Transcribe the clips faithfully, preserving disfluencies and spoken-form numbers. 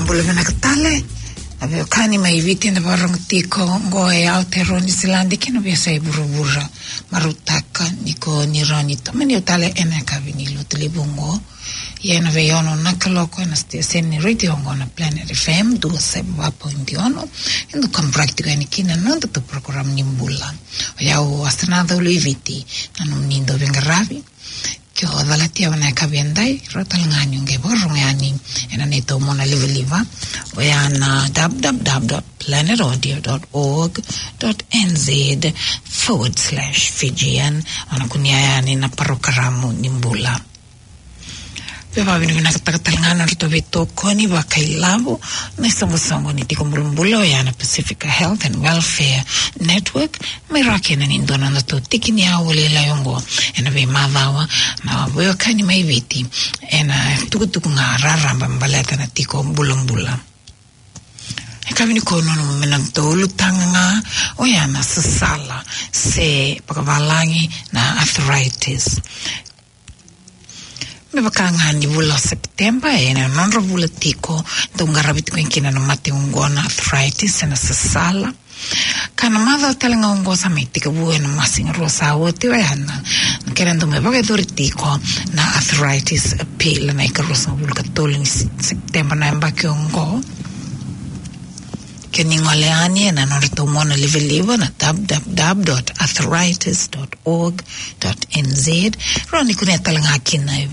Bula vinaka tale. Na veiwekani mai Viti eda vakarorogo tiko qo e Aotearoa Niusiladi kei na veiyasai vuravura. Marautaka ni ko ni rawa ni tomani au tale ena yakavi ni Lotulevu qo. Ia ena veiono na kaloko ena siteseni ni retio qo na Planet F M dua saiva va point ono. Eda kaburaki tiko yani kina na nodatou porokaramu ni bula. O yau Asenaca Uluiviti na nomuni dauveiqaravi. Ke o calata yani ena yakavi edai, rawa tale ga ni o qai vakarorogo yani ena neitou mona livaliva, oya na w w w dot planet audio dot org dot n z forward slash Fijian. O na kunea yani na porokaramu ni bula. Vei vakavinavinakataka tale ga na nodratou veitokoni vakailavo na isoqosoqo ni tiko bulabula, oya na Pacific Health and Welfare Network, me rawa kina ni dua na nodatou tiki ni aua lailai oqo ena veimacawa, na veiwekani mai Viti ena tukutuku ga raraba baleta na tiko bulabula. E ka vinaka ni o nanuma me nodatou ulutaga ga, oya na sasala se vakavalagi na arthritis. Me vaka ga ni vula o Sepiteba, ena nodra vula tiko, dau qaravi tiko kina na mate oqo na arthritis, ena sasala. Ka na macawa tale ga oqo sa mai tekivu ena masiga rua sa oti, oya na, na kena dau mai vakayacori tiko na Arthritis Appeal, na ikaruasagavulu ka tolu ni Se-, Sepiteba na yabaki oqo. Ke ni gole yani ena nodratou mona livaliva na w w w dot arthritis dot org dot n z. Rawa ni kunea tale ga kina e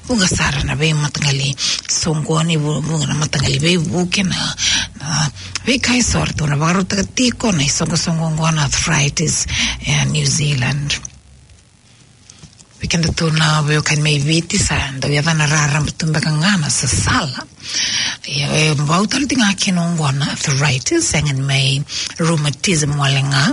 vuqa sara na veimataqali soqoni, vu-, vuqa na mataqali veivuke, na, na veika eso eratou na vakarautaka tiko na isoqosoqo oqo na Arthritis, e, New Zealand. Vei kedatou na veiwekani mai Viti, sa dau yacana raraba tu beka ga na sasala. Ia, e bau tale tiko ga kina oqo na arthritis, sega ni mai rheumatism wale ga,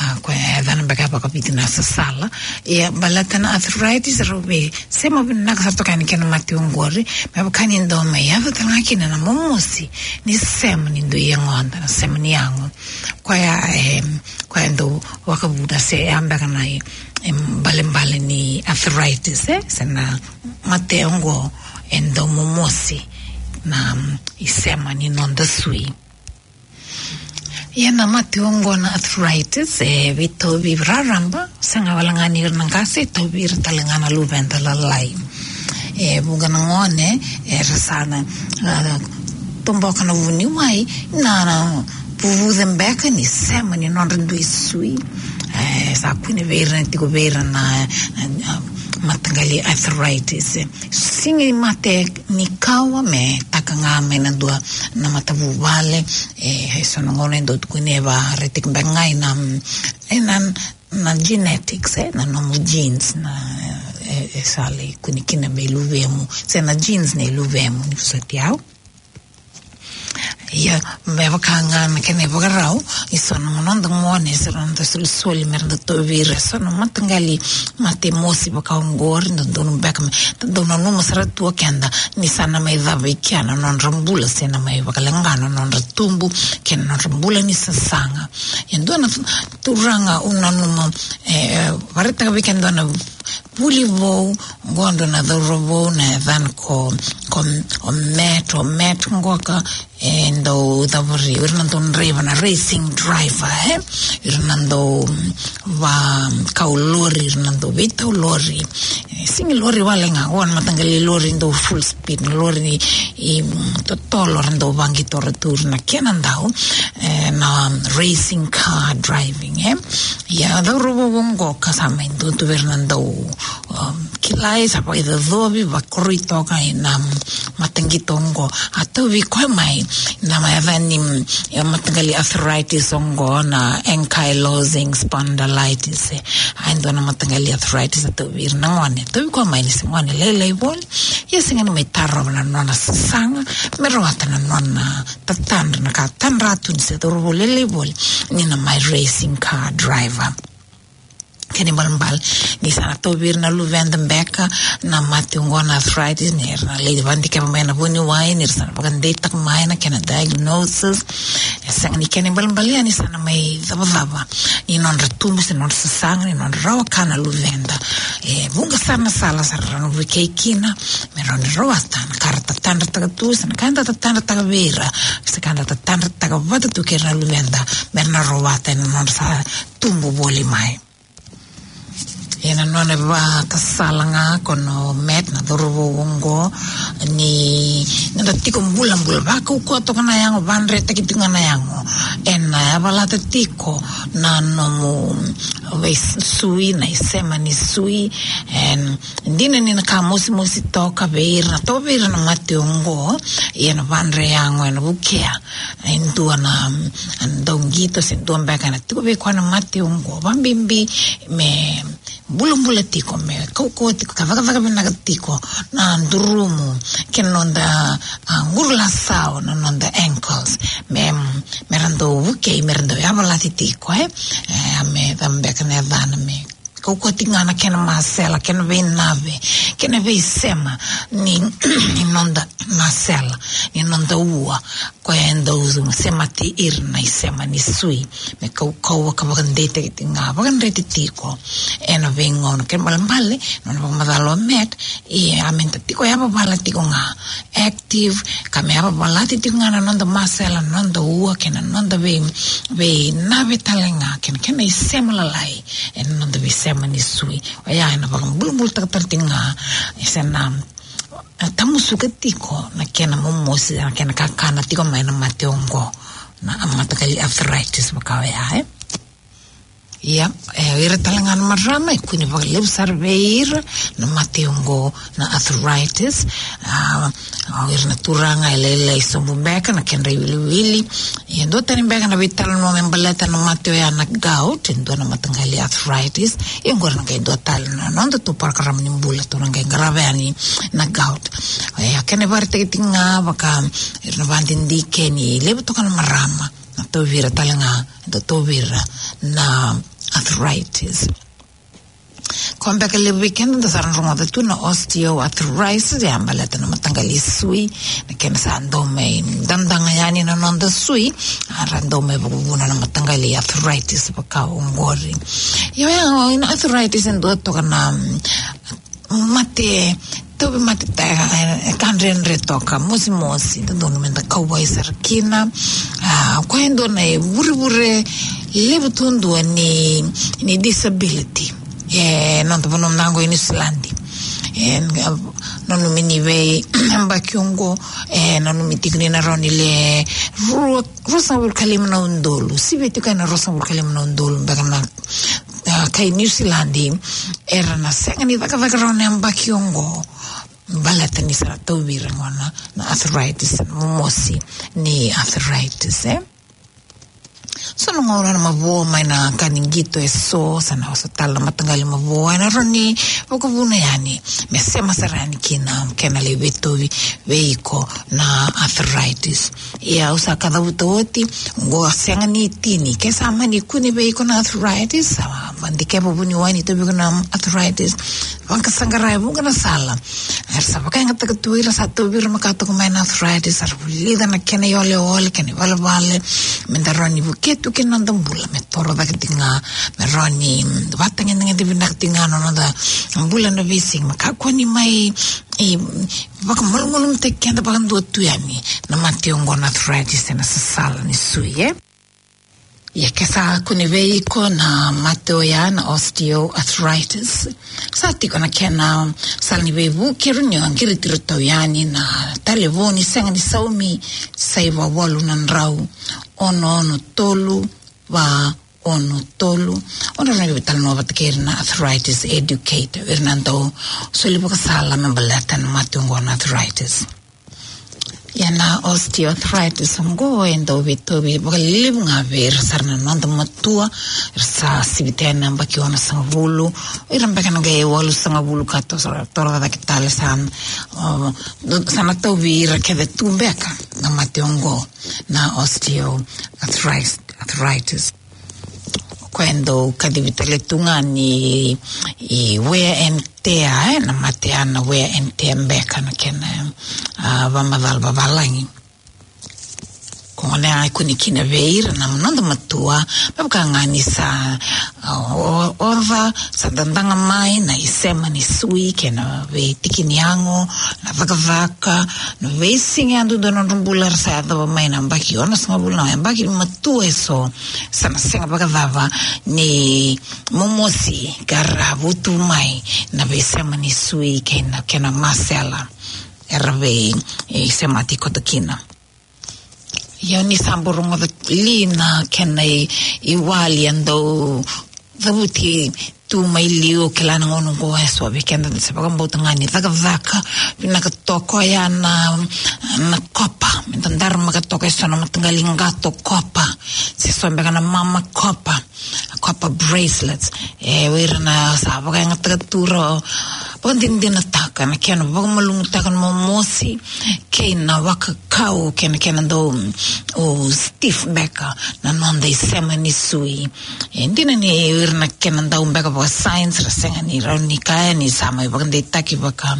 a, koya e yacana beka vakaviti na sasala. Ia, baleta na arthritis, rau veisema vinaka sara toka yani kei na mate oqori, me vaka ni dau mai yaco tale ga kina na momosi ni sema ni dui yagoda, na sema ni yago. Koya, e, koya e dau vakavuna se ya beka na i, e, balebale ni arthritis, e, se na mate oqo e dau momosi na, mm, isema ni noda sui. Ia na mate oqo na arthritis, e veitauvi raraba, sega wale ga ni ira na qase, e tauvi ira tale ga na luveda lalai. E vuqa na gone, era sa na, a, toboka na vuniwai, na, na vuvuce beka ni sema ni nodra dui sui. E, sa kune vei ira, tiko vei ira na, na, na mataqali arthritis. Sega ni mate ni kawa me taka ga mai na dua na matavuvale, e, e so na gauna e dau tukuni e vakaretaki beka ga ena, ena, na genetics, e, na nomu genes, na, e, e sa lai kune kina mai luvemu, se na genes nei luvemu, ni vosoti au. Ia, me vaka ga na kena ivakarau, e so na noda gone, e so na noda solisoli, me ra dau tauvi ira e so na mataqali mate mosi vaka oqori, dodonu beka me, dau nanuma sara tu o keda, ni sa na mai cava i kea na nodra bula, se na mai vakaleqa na nodra tubu, kei na nodra bula ni sasaga. E dua na turaga au nanuma, e, vakaraitaka vei keda e dua na vuli vou, qo dua na cauravou, na yacana ko, ko, o Matt, o Matt qoka, e dau cavari, ira na dau draiva, na racing driver, e? Ira na dau, mm, vakau lori, ira na dau veitau lori. E, sega ni lori wale ga, o na mataqali lori dau full speed, na lori ni, i, mm, totolo, ra dau vaqitora tu ira na kena dau, e, na racing car driving, e? Ia, cauravou qoka sa mai dua tu vei ira na dau, um, kilai, sa vakaicocovi, vakoroi toka ena mataqito oqo. A tauvi koya mai na, mai yaca ni, mm, e, mataqali arthritis oqo na ankylosing spondylitis, e. A e dua na mataqali arthritis a tauvi ira na gone. Tauvi koya mai ni se gone lailai voli. Ia sega ni mai tarova na nona sasaga, me rawata na nona tatadra, na ka tadra tu ni se cauravou lailai voli, ni na mai racing car driver. Kena ibalebale, ni sa na tauvi ira na luveda beka na mate oqo na arthritis, ni ra na lai vakadikeva mai na vuniwai, ni ra sa na vakadeitaka mai na kena diagnosis. E sega ni kena ibalebale, ni sa na mai cavacava ni nodra tubu, se nodra sasaga, ni nodra rawa ka na luveda. E vuqa sara na sala sa ra na vukei kina me rawa ni rawata na ka ra tatadrataka tu, se na ka eda tatadrataka vei ira, se ka eda tatadrataka vata tu kei ira na luveda, me ra na rawata ena nodra sa tubu voli mai. Ia na nona vakasala ga ko na Matt, na cauravou oqo, ni noda tiko bulabula, vakaukauwa toka na yago, vadretaki tiko ga na yago. Ena yavalata tiko na nomu veisui, na isema ni sui. E dina ni na ka mosimosi toka vei ira, toka vei ira na mate oqo, ia na vadre yago ena vukea e dua na, mm, dauqito se dua beka ena tiko vei koya na mate oqo, vakabibi me bulabula tiko, me kaukauwa tiko, ka cakacaka vinaka tiko na durumu kei na noda, a, qurulasawa, na noda ankles, me, me ra dau vukei, me ra dau yavalati tiko, e, e, me cava beka na yacana, me kaukauwa tiko ga na kena masela, kena veinave, kena veisema ni, ni noda masela, ni noda ua, koya e dau semati ira na isema ni sui, me kaukauwa ka vakadeitaki tiko ga, vakadreti tiko ena veigauna. Kena ibalebale, nona vakamacala o Matt, ia me da tiko yavavala tiko ga, active, ka me yavavalati tiko ga na noda masela, na noda ua, kei na noda vei, veinave tale ga, kei na kena isema lalai ena noda veisema ni sui. Oya ena vakabulabulataka tale tiko ga, e, se na, e, tamusuka tiko na kena momosi, na kena kakana tiko mai na mate oqo, na mataqali arthritis vaka oya, e. Ia, e, o ira tale ga na marama e kune vakalevu sara vei ira na mate oqo na arthritis. A, o ira na turaga e lailai sobu beka na kedra iwiliwili. Ia, dua tani beka na veitalanoa me baleta na mate oya na gout, e dua na mataqali arthritis. Ia, oqori na qai dua tale na noda tou parokaramu ni bula tou na qai qarava yani, na gout. Ia, kena ivakaraitaki tiko ga vaka ira na vakadidike ni levu toka na marama na tauvi ira tale ga, na tauvi ira na arthritis. Ko beka levu vei keda da sa rogoca tu na osteoarthritis, e a baleta na mataqali sui, na kena sa dau mai dadaga yani na noda sui, a ra dau mai vakavuna na mataqali arthritis vaka oqori. Io, ia, na arthritis e dua toka na, mm, mate, tauvimate, e, e ka dredre toka, mosimosi, dodonu me da kauwai sara kina. A, o koya e dua na ivurevure levu duadua ni, ni disability e noda vanua mada oqo i Niusiladi. E, a, nanumi ni veiyabaki oqo, e, nanumi tiko ni na rawa ni le rua, ruasagavulu ka lima na udolu, sivi tiko ena ruasagavulu ka lima na udolu beka na, a, kai Niusiladi era na sega ni cakacaka rawa na yabaki oqo, baleta ni sa ra tauvi ira gona na arthritis, na momosi ni arthritis, e. So na gauna na mavoa mai na ka ni qito e so, sa na oso tale na mataqali mavoa, e na rawa ni vakavuna yani me sema sara yani kina, kena lai veitauvi vei iko na arthritis. Ia au sa kacavuta oti, oqo a sega ni tini. Ke sa mani kune vei iko na arthritis, sa vadikeva vuniwai ni tauvi iko na arthritis, vakasaqara e vuqa na sala. Era sa vakayagataka tu ira sa tauvi ira makawa toka mai na arthritis, sa ra vulica na kena ioleole, kena ivalevale, me da rawa ni vukea tu kina noda bula, me toro cake tiko ga, me rawa ni, mm, vatagedegede vinaka tiko ga na noda bula na veisiga, me kakua ni mai, e, vakamalumalumutaki keda vakadua tu yani na mate oqo na arthritis ena sasala ni sui, e. Ia ke sa kune vei iko na mate oya na osteoarthritis, sa tiko na kena sala ni veivuke, rawa ni o qiriti iratou yani na talevoni sega ni saumi, saiva walu na drau, ono ono tolu, va ono tolu. O na rawa ni veitalanoa vata kei ira na arthritis educator, ira na dau soli vakasala me baleta na mate oqo na arthritis. Ia na osteoarthritis oqo e dau veitauvi vakalevu ga vei ira sara na noda matua, ira sa sivita na yabaki onosagavulu, ira beka na qai walusagavulu ka toro, toro cake tale sa, o, sa na tauvi ira kece tu beka na mate oqo na osteoarthritis, arthritis. Koya e dau kacivi tale tu ga ni, i wear and tear, e, na mate ya na wear and tear beka na kena, a, vakamacala vavalagi. Gona e kune kina vei ira na noda matua, me vaka ga ni sa, a, o-, oca, sa dadaga mai na isema ni sui kei na veitiki ni yago, na cakacaka, na veisiga yadudua na nodra bula era sa yacova mai na yabaki onosagavulu na yabaki ni matua eso, sa na sega vakacava ni momosi ka ra vutu mai na veisema ni sui kei na kena masela era vei, e, semati koto kina. Ia ni sa bau rogoca li na kena i, iwali e dau cavuti tu mai liu, kila na gauna oqo e so vei keda da se vakabauta ga ni cakacaka vinaka toka, oya na, na kopa, me da daramaka toka e so na mataqali qato kopa, se so beka na mama kopa, kopa bracelets. E, o ira na sa vakayagataka tu, ra vakadinadinataka na kena vakamalumutaka na momosi kei na wakakau kei na kena dau, o, stiff beka na noda isema ni sui. E dina ni o ira na kena dau beka vaka science ra sega ni rawa ni kaya ni sa mai vakadeitaki vaka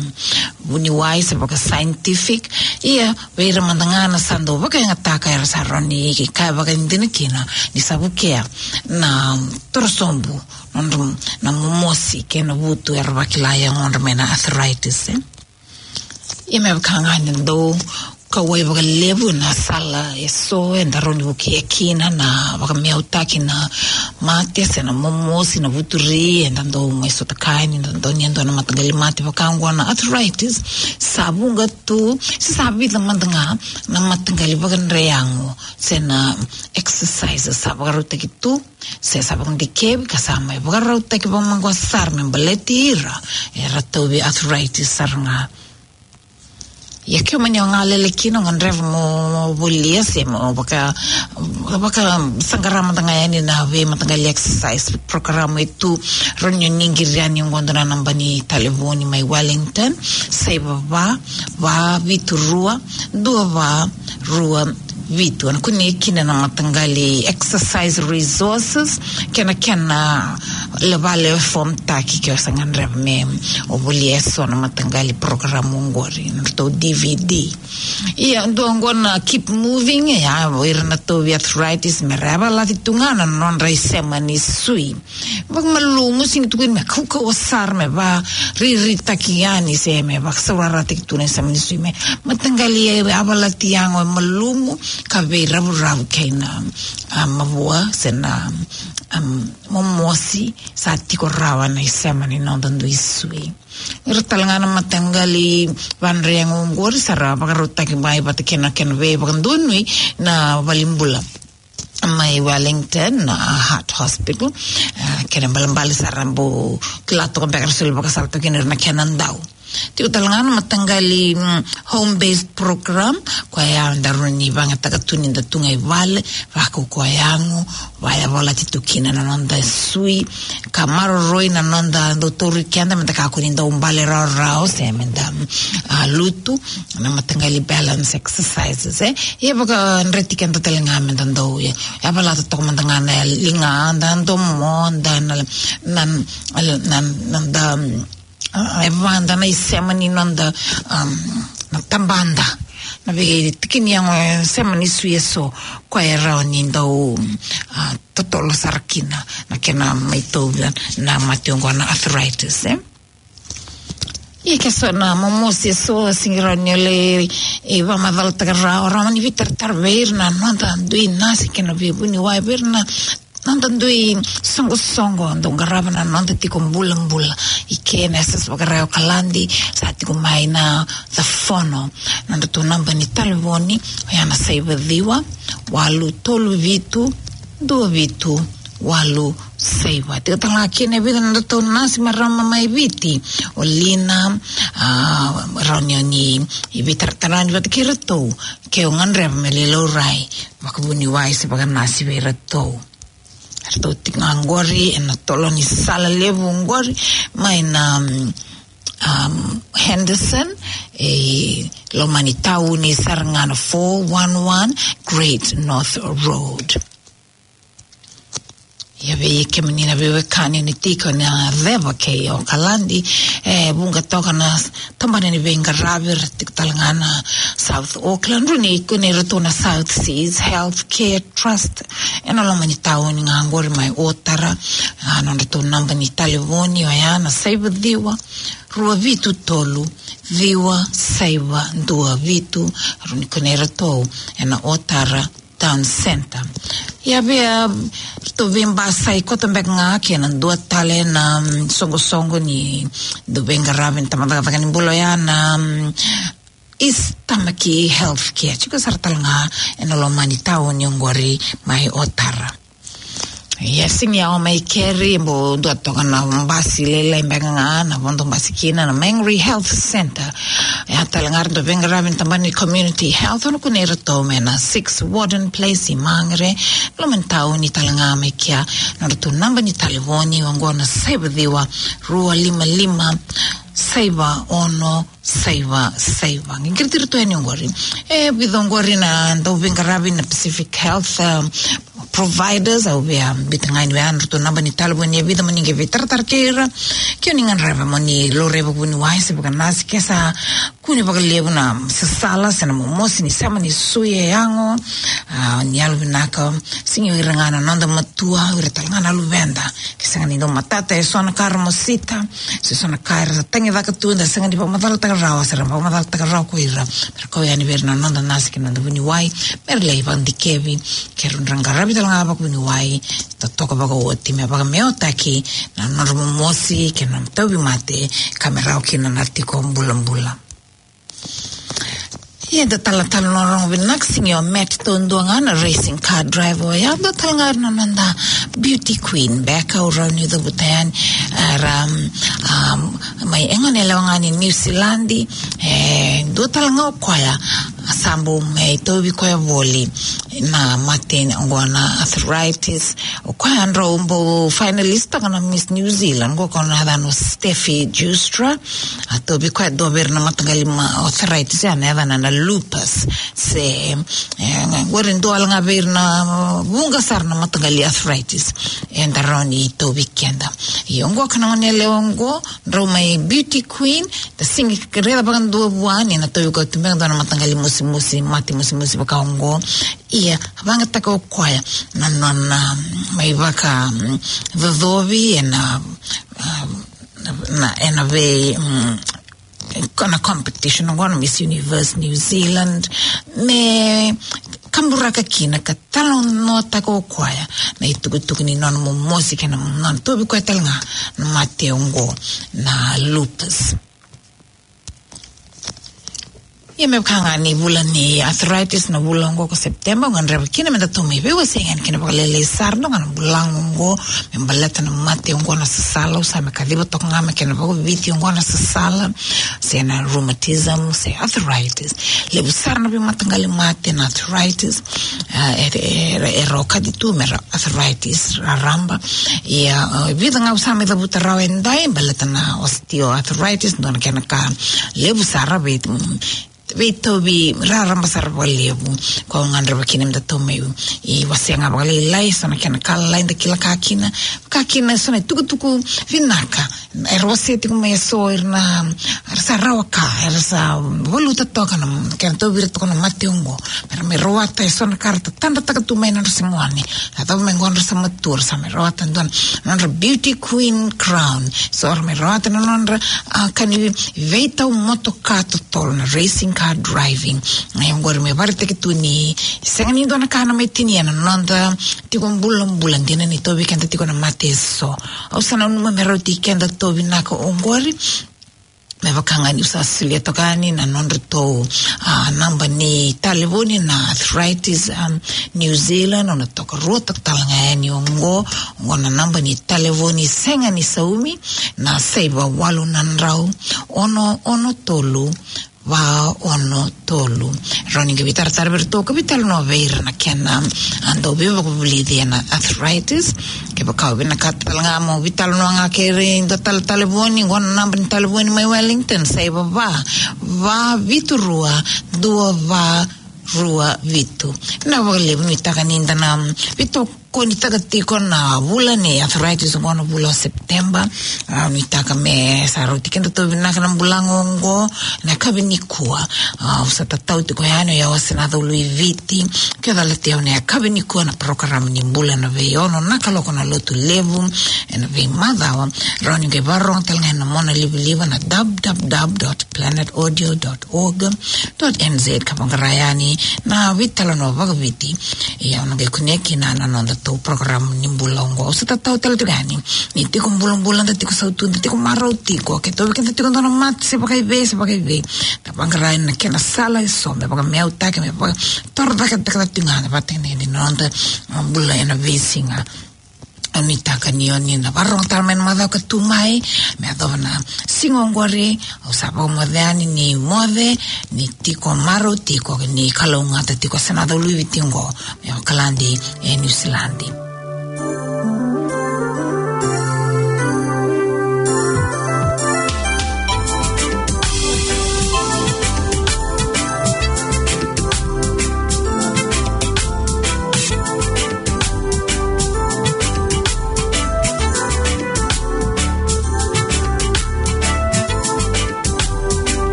vuniwai se vaka scientific. Ia vei ira mada ga na sa dau vakayagataka era sa rawa ni kaya vakadina kina ni sa vukea na torosobu, nodra, na momosi kei na vutu era vakila e yagodra mai na arthritis, e. Ia me vaka ga ni dau kauwai vakalevu na sala e so eda rawa ni vukea kina na vakameautaki na mate se na momosi, na vuturi, eda dau mai sota kaya ni da dau ni dua na mataqali mate vaka oqo na arthritis. Sa vuqa tu se sa vica mada ga na mataqali vakadre yago se na exercise sa vakarautaki tu, se sa vakadikevi ka sa mai vakarautaki vakamaqosa sara me baleti ira era tauvi arthritis sara ga. Ia ke o mani o galele kina, o gadreva mo volia se mo vaka, vakasaqara mada ga yani na veimataqali exercise program e tu. Rawa ni o ni qiri yani oqo dua na naba ni talevoni mai Wellington, saiva va, va vitu rua, dua va, rua vitu. Ena kunei kina na mataqali exercise resources kei na kena level form taki ke o sa gadreva me o volia e so na mataqali program oqori, na ratou D V D. Ia dua oqo na Keep Moving, ia o ira na tauvi arthritis me ra yavalati tu ga na nodra isema ni sui. Vakamalumu, sega ni tukuni me kaukauwa sara, me vakariritaki yani se me vakasaurarataki tu na isema ni sui, me mataqali yavalati yago e malumu ka veiraurau kei na, a, mavoa se na, a, momosi sa tiko rawa na isema ni noda dui sui. Ira tale ga na mataqali vakadre yago oqori sa ra vakarautaki mai vata kei na kena veivakadonui na valenibula mai Wellington, na Heart Hospital. A, kena ibalebale sa ra bau kila toka beka ra soli vakasala toka kina ira na kena dau. Tiko tale ga na mataqali, mm, home-based program, koya eda rawa ni vakayagataka tu ni da tu ga i vale, vakaukauwa yago, vakayavalati tu kina na noda sui, ka maroroi na noda dau tauri keda me da kakua ni dau bale rawarawa se me da, a, lutu, na mataqali balance exercises, e. Ia vakadreti keda tale ga me da dau, ia, yavalata toka mada ga na ligada, domoda, na, na, na, na, na da, a, e vada na isema ni noda, am, na tabada, na veitiki ni yago e sema ni sui e so, koya e rawa ni dau, a, totolo sara kina na kena mai tauvi na mate oqo na arthritis, e. Ia ke so na momosi e so sega ni rawa ni o lai, e, vakamacalataka rawa, rawa ni veitaratara vei ira na noda dui nasi kei na veivuniwai, vei ira na noda dui soqosoqo dau qarava na noda tiko bulabula. I ke na S S Vakarauwai Okaladi sa tiko mai na The Fono, na nodratou naba ni talevoni, oya na saiva ciwa, walu tolu vitu, dua vitu, walu saiva. Tiko tale ga kina e vica na nodratou nasi marama mai Viti, o Lina, a, rawa ni o ni veitaratara yani vata kei iratou ke o gadreva me lai laurai vakavuniwai se vakanasi vei iratou. Eratou tiko ga oqori ena tolo ni sala levu oqori mai na, um, Henderson, e loma ni tauni sara ga na four one one Great North Road. Ia vei kemuni na veiwekani ni tiko na ceva kei Okaladi, e vuqa toka na tabana ni veiqaravi era tiko tale ga na South Auckland, rau ni kunei iratou na South Seas Healthcare Trust. Ena loma ni tauni ga oqori mai Otara, a, nodratou naba ni talevoni oya na saiva ciwa, rua vitu tolu, ciwa saiva dua vitu, rau ni kunei iratou ena Otara Town Centre. Ia vei, a, ratou veibasai koto beka ga kei na dua tale na, mm, soqosoqo ni dau veiqaravi ni tabacakacaka ni bula oya na, mm, East Tamaki Healthcare. Tiko sara tale ga ena loma ni tauni oqori mai Otara. Ia sega ni yawa mai keri, bau dua toka na basi lailai beka ga, na vodo basi kina na Mangere Health Centre. Ia tale ga ratou veiqaravi ni tabana ni Community Health, o na kunei iratou mai na Six Warden Place i Mangere, loma ni tauni tale ga mai kea. Nodratou naba ni talevoni oqo na saiva ciwa, rua lima lima, saiva ono, saiva saiva. Qai qiriti iratou yani oqori. E vica oqori na dau veiqaravi na Pacific Health, um, providers, au via biuta ga yani vei iratou na naba ni talevoni e vica mo ni qai veitaratara kei ira. Ke o ni gadreva mo ni laurai vakavuniwai se vakanasi, ke sa kune vakalevu na sasala se na momosi ni sema ni sui e yago, a, ni yalovinaka, sega ni o ira ga na noda matua, o ira tale ga na luveda. Ke sega ni dau matata eso na ka era mosita, se so na ka era sa tagicaka tu, da sega ni vakamacalataka rawa, se ra vakamacalataka rawa ko ira. Ra kau yani vei ira na noda nasi kei na noda vuniwai, me ra lai vakadikevi, ke ra dau qaravi tale ga vakavuniwai, totoka vakaoti, me vakameautaki na nodra momosi kei na tauvimate, ka me rawa kina na tiko bulabula. Ia da talatala na rogo vinaka, sega ni o Matt taudua ga na racing car driver, ia dua tale ga na noda beauty queen beka au rawa niu cavuta yani, era, um, mai e gone yalewa ga ni New Zealand, e dua tale ga o koya, a sa bau mai tauvi koya voli na mate oqo na arthritis. O koya drau bau finalist taka na Miss New Zealand, oqo ko na yacana o Steffi Justra. A tauvi koya e dua vei ira na mataqali ma-, arthritis, ya na yacana na lupus. Se, e, oqori dua wale ga vei ira na, vuqa sara na mataqali arthritis. Eda rawa ni tauvi keda. Ia oqo ka na gone yalewa oqo, drau mai beauty queen, da sega ni raica vakadua vua ni na tauvi koya tu beka dua na mataqali mosimosi, mate mosimosi vaka oqo. Ia, vakayagataka o koya na nona, um, mai vaka, um, cocovi ena, um, na, ena vei, um, ko na competition oqo na Miss Universe New Zealand, me kaburaka kina ka talanoataka o koya na itukutuku ni nona momosi kei na nona tauvi koya tale ga na mate oqo na lupus. Ia me vaka ga ni vula ni arthritis na vula oqo ko September, au gadreva kina me datou mai veiwasei yani kina vakalailai sara, dua ga na bula oqo me baleta na mate oqo na sasala, au sa mai kaciva toka ga me kena vakaviti oqo na sasala, se na rheumatism, se arthritis. Levu sara na veimataqali mate na arthritis, a, e, e, e, e okati tu me ra arthritis raraba. Ia, e, vica ga au sa mai cavuta rawa edai, baleta na osteoarthritis, dua na kena ka levu sara vei, mm, veitauvi raraba sara vakalevu. Ko au gadreva kina me datou mai, i, wasea ga vakalailai, so na kena ka lalai da kila ka kina, ka kina so na itukutuku vinaka. Era wasea tiko mai eso ira na, era sa rawa ka, era sa valuta toka na, kena tauvi ira toka na mate oqo. Era mai rawata eso na ka ra tatadrataka tu mai na nodra se gone. Sa tau mai qo ra sa matua, ra sa mai rawata dua na nodra beauty queen crown. So ra mai rawata na nodra, a, ka ni veitau motoka totolo na racing car driving. Ia oqori me vakaraitaki tu ni sega ni dua na ka na mai tinia na noda tiko bulabula, dina ni tauvi keda tiko na mate eso. Au sa nanuma me rauti keda tauvi naka oqori. Me vaka ga niu sa solia toka yani na nodratou, a, naba ni talevoni na Arthritis, um, New Zealand, au na tokaruataka tale ga yani oqo, oqo na naba ni talevoni sega ni saumi, na saiva walu na drau, ono ono tolu, va ono tolu. Rawa ni qai veitaratara vei iratou ka veitalanoa vei ira na kena, a, dau veivakavulici ena arthritis. Kevaka o vinakata tale ga mo veitalanoa ga kei ira e dua tale talevoni, oqo na naba ni talevoni mai Wellington, saiva va, va vitu rua, dua va rua vitu. Na vakalevu nuitaka ni da na veitou Ko ni taka tiko na vula ni arthritis oqo na vula o September. A, nuitaka me sa rauti keda tau vinaka na bula oqo na yakavi nikua. A, au sa tatau tiko yani o yau o Senaca Uluiviti. Ke o calati au na yakavi nikua na program ni bula ena veiono na kaloko na Lotulevu ena veimacawa. Rawa ni qai vakarorogo tale ga ena monalivaliva na w w w dot planet audio dot org dot n z ka vaqara yani na veitalanoa vakaviti. Ia, o na qai kunea kina na noda tou program ni bula oqo. Au sa tatau tale tiko yani ni tiko bulabula, da tiko sautu, da tiko marau tiko, ke tauvi keda tiko dua na mate se vakaivei se vakaivei, da vaqara yani na kena sala eso me vakameautaki, me vakatorocaketaka tiko ga na vakatekivu ni noda, a, bula ena veisiga. Au nuitaka ni o ni na vakarorogo tale mai na macawa ka tu mai, me yacova na siga oqori. Au sa vakamoce yani ni moce, ni tiko marau tiko, ni kalougata tiko Senaca Uluiviti oqo mai Okaladi e Niusiladi.